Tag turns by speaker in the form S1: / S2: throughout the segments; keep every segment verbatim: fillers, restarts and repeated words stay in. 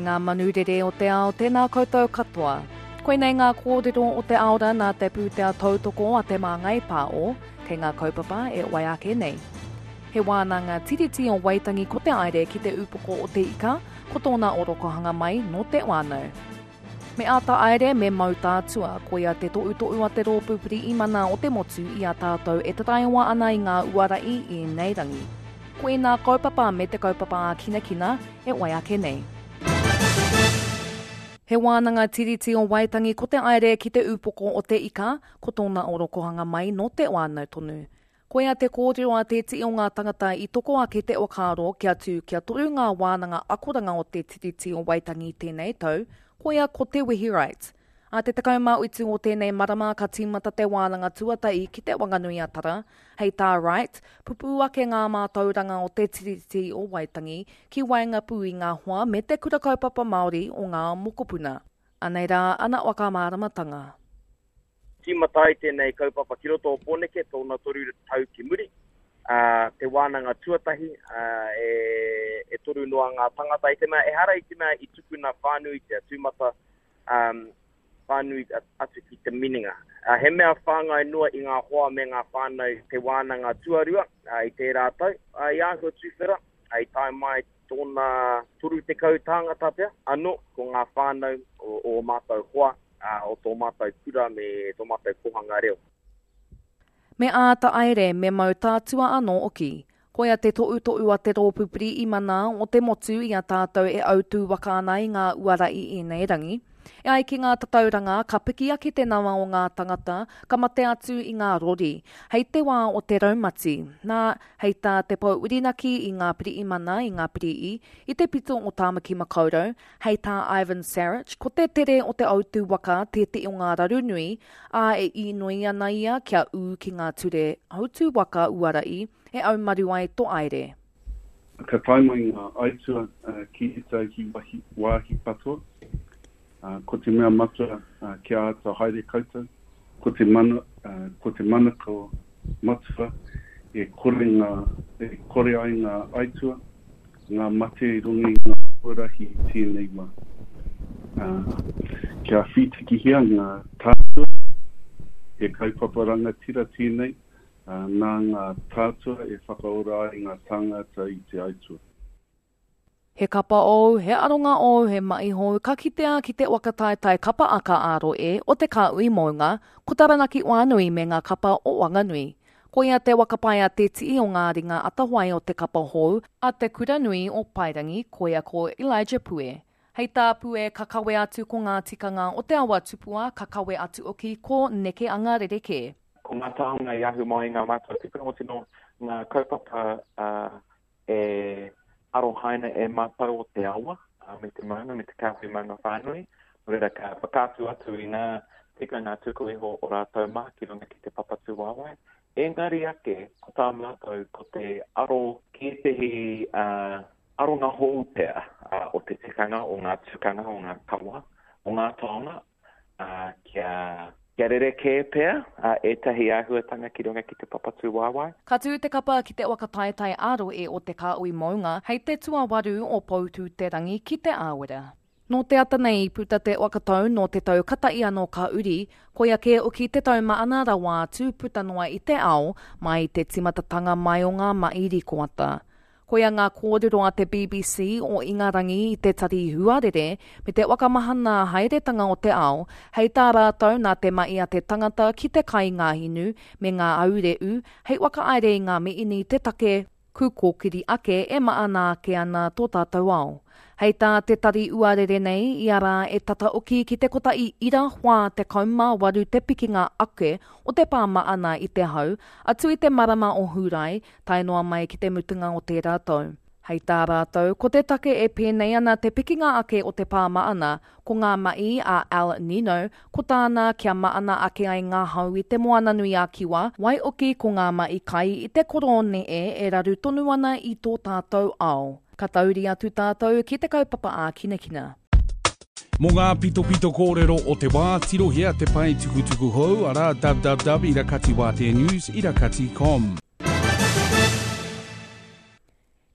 S1: E ngā manu rere o te ao, tēnā koutou katoa. Koinei ngā kōrero o te aora nā te pūtea tautoko a Te Māngai Pāo, kei ngā kaupapa e wai ake nei. He wānanga Tiriti o Waitangi ko te aere ki te upoko o te ika, ko tōna orokohanga mai nō te wānau. Me āta aere me mau tātua, koia te toʻutoʻu a te rōpū Pirihimana o te motu i a tātou e taraiwa ana i ngā uara i ēnei rangi. Ko ēnā kaupapa me te kaupapa ākinakina e wai ake nei. He wānanga Tiriti o Waitangi ko te aere ki te upoko o te ika, ko tōna orokohanga mai nō te wānau tonu. Koia te kōrero a te tī o ngā tangata i toko ake te whakaaro kia tū kia toru ngā wānanga akoranga o te Tiriti o Waitangi tēnei tau, koia ko Te Wehi Wright. A te tekau mā utu o tēnei marama ka tīmata te wānanga tuatahi ki Te Wanganui-a-Tara, hei tā Wright, pupū ake ngā mātauranga o te Tiriti o Waitangi ki waenga pū i ngā hoa me te kura kaupapa Māori o ngā mokopuna. Anei rā ana whakamāramatanga.
S2: Tīmata ai tēnei kaupapa ki roto o Pōneke, tōna toru tau ki muri. Uh, te wānanga tuatahi, uh, e, e toru noa ngā tangata i te mea, ehara i te mea i tukuna whānuitia, tūmata um, whānui atu ki te minenga. Uh, he mea whāngai noa i ngā hoa me ngā whānau te wānanga tuarua uh, i tērā tau. Uh, i āhua tuwhera, uh, i tae mai tōna toru tekau tāngata pea. Anō, ko ngā whānau o, o mātou hoa, uh, o tō mātou kura me tō mātou kohanga reo.
S1: Me āta aere, me mau tātua anō oki. Koia te toʻutoʻu a te rōpū Pirihimana o te motu i a tātou e autū waka ana i ngā uara i ēnei rangi. E ai ki ngā tatauranga, ka piki ake te nama o ngā tangata, ka mate atu i ngā rori, hei te wā o te raumati. Nā, hei tā te pou urinaki i ngā pirihimana i ngā pirihi, i te pito o Tāmaki Makaurau, hei tā Ivan Saric, ko te tere o te autū waka tētehi o ngā raru nui, ā e inoi ana ia kia ū ki ngā ture hautū waka uara i, e aumaru ai tō aere.
S3: Ka tae mai ngā aitua uh, ki tētahi wāhi, wāhi katoa. Uh, ko te mea matua uh, kia āta haere koutou, ko te mana, uh, ko te manako matua e kore, ngā, e kore ai ngā aitua, ngā mate i runga i ngā huarahi i tēnei wā. Uh, kia whītikihia ngā tātua, he kaupapa rangatira tēnei, uh, nā ngā tātua e whakaora ai ngā tāngata i te aitua.
S1: He kapa ou, he aronga ou, he mahi hou, ka kitea ki te waka taetae kapa aka ā-rohe o te Kāhui Mounga, ko Taranaki Whānui me ngā kapa o Wanganui. Koia te waka pai a te tii o ngā ringa atawhai o te kapa hou a te kura nui o Paerangi, koia ko Elijah Pue. Hei tā Pue, ka kawe atu ko ngā tikanga o te awa tupua, ka kawe atu oki ko neke anga rerekē.
S4: Ko ngā taonga i ahu mai ngā mātua tipuna o tino ngā kaupapa uh, e arohaina e mātou o te awa uh, me te maunga, me te kāhui maunga whānui. Nō reira ka whakaatu atu i ngā tikanga tuku iho o rātou mā ki runga ki te papatūwaewae. Engari ake, ko tā mātou, ko te aro ki ētehi uh, aronga hou pea uh, o te tikanga, o ngā tukanga, o ngā kawa, o ngā taonga, uh, kia, kia rerekē pea uh, ētahi āhuatanga ki runga ki te papatūwaewae.
S1: Ka tū te kapa ki te waka taetae ā-rohe o te Kāhui Mounga hei te tuawaru o Poutū-te-rangi ki te Āwera. Nō te ata nei i puta te whakatau nō te tau katahi anō ka uri, koia kē oki te tau maana rawa atu puta noa i te ao, mai i te timatatanga mai o ngā mahi rikoata. Koia ngā kōrero a te B B C o Ingarangi i te tari huarere me te whakamahana haeretanga o te ao, hei tā rātou nā te mahi a te tangata ki te kai ngā hinu me ngā aureu, hei whakaere i ngā miini te take kūkōkiri ake e maana ake ana tō tātou ao. Hei tā te tari uarere nei, i ara e tata oki ki te kotahi ira whā te kaumā waru te pikinga ake o te pā maana i te hau, atu i te marama o Hūrae, tae noa mai ki te mutunga o tērā tau. Hei tā rātou, ko te take e pēnei ana te pikinga ake o te pā maana, ko ngā mahi a El Nino, ko tāna kia maana ake ai ngā hau i te moana nui a Kiwa, wai oki ko ngā mahi kai i te korone e e raru tonu ana i tō tātou ao. Ka tauri atu tātou ki te kaupapa ākinakina.
S5: Mō ngā pitopito kōrero o te wā, tirohia te pae tukutuku hou, arā w w w irakati wātea news irakati com.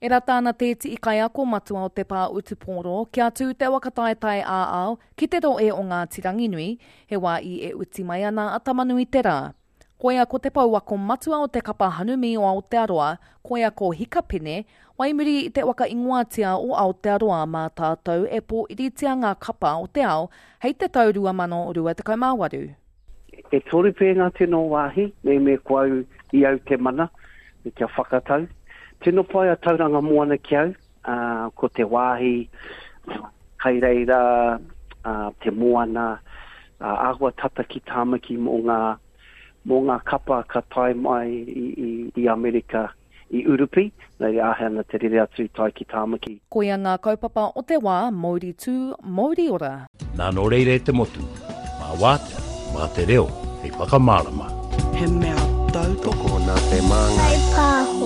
S1: E rata ana te tii kaiako matua o te pā utupōro kia tū te waka taetae ā-ao ki te roe o Ngāti Ranginui, he wā i e uti mai ana a Tamanui te rā. Koia ko te pouako matua o te kapa hanumi o Aotearoa, koia ko Hikapene, waimuri i te waka ingoatia o Aotearoa mā tātou e pōiritia ngā kapa o te ao hei te tau rua mano rua tekau mā waru.
S6: E toru pē ngā tino wāhi, me me ko au i au te mana, me kia whakatau. Tino pai a Tauranga Moana ki au, uh, ko te wāhi, kai reira, uh, te moana, uh, āhua tata ki Tāmaki mō ngā, mō ngā kapa ka tae mai i, i, i Amerika, i Urupi, nei āhei ana te rere atu tae ki Tāmaki.
S1: Koia ngā kaupapa o te wā, Mauri tū, Mauri ora.
S7: Nā nō reira e te motu, mā wātea, mā te reo, hei whakamārama.
S8: He mea tautoko
S9: nā te māngai.
S10: Hei pāho.